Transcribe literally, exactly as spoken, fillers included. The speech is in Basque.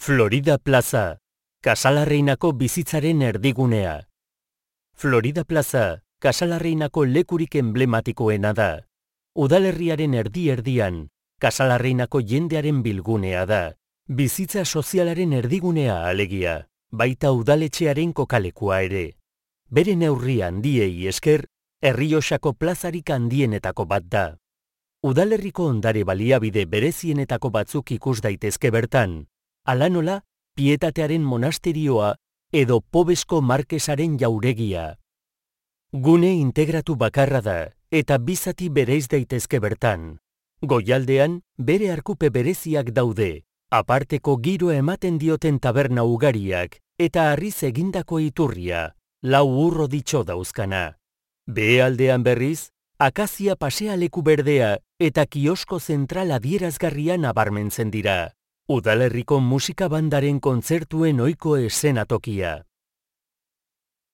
Florida Plaza, Casalarreinako bizitzaren erdigunea. Florida Plaza, Casalarreinako lekurik emblematikoena da. Udalerriaren erdi-erdian, Casalarreinako jendearen bilgunea da. Bizitza sozialaren erdigunea alegia, baita udaletxearen kokalekua ere. Bere neurri handiei esker, Errioxako plazarik handienetako bat da. Udalerriko ondare baliabide berezienetako batzuk ikus daitezke bertan, hala nola Pietatearen monasterioa edo Pobesko Markesaren jauregia. Gune integratu bakarra da, eta bizati bereiz daitezke bertan. Goialdean, bere arkupe bereziak daude, aparteko giro ematen dioten taberna ugariak, eta harriz egindako iturria, lau urro ditxo dauzkana. Behealdean berriz, akazia pasealeku berdea eta kiosko zentral adierazgarria nabarmentzen dira. Udalerriko musika bandaren kontzertuen ohiko eszenatokia.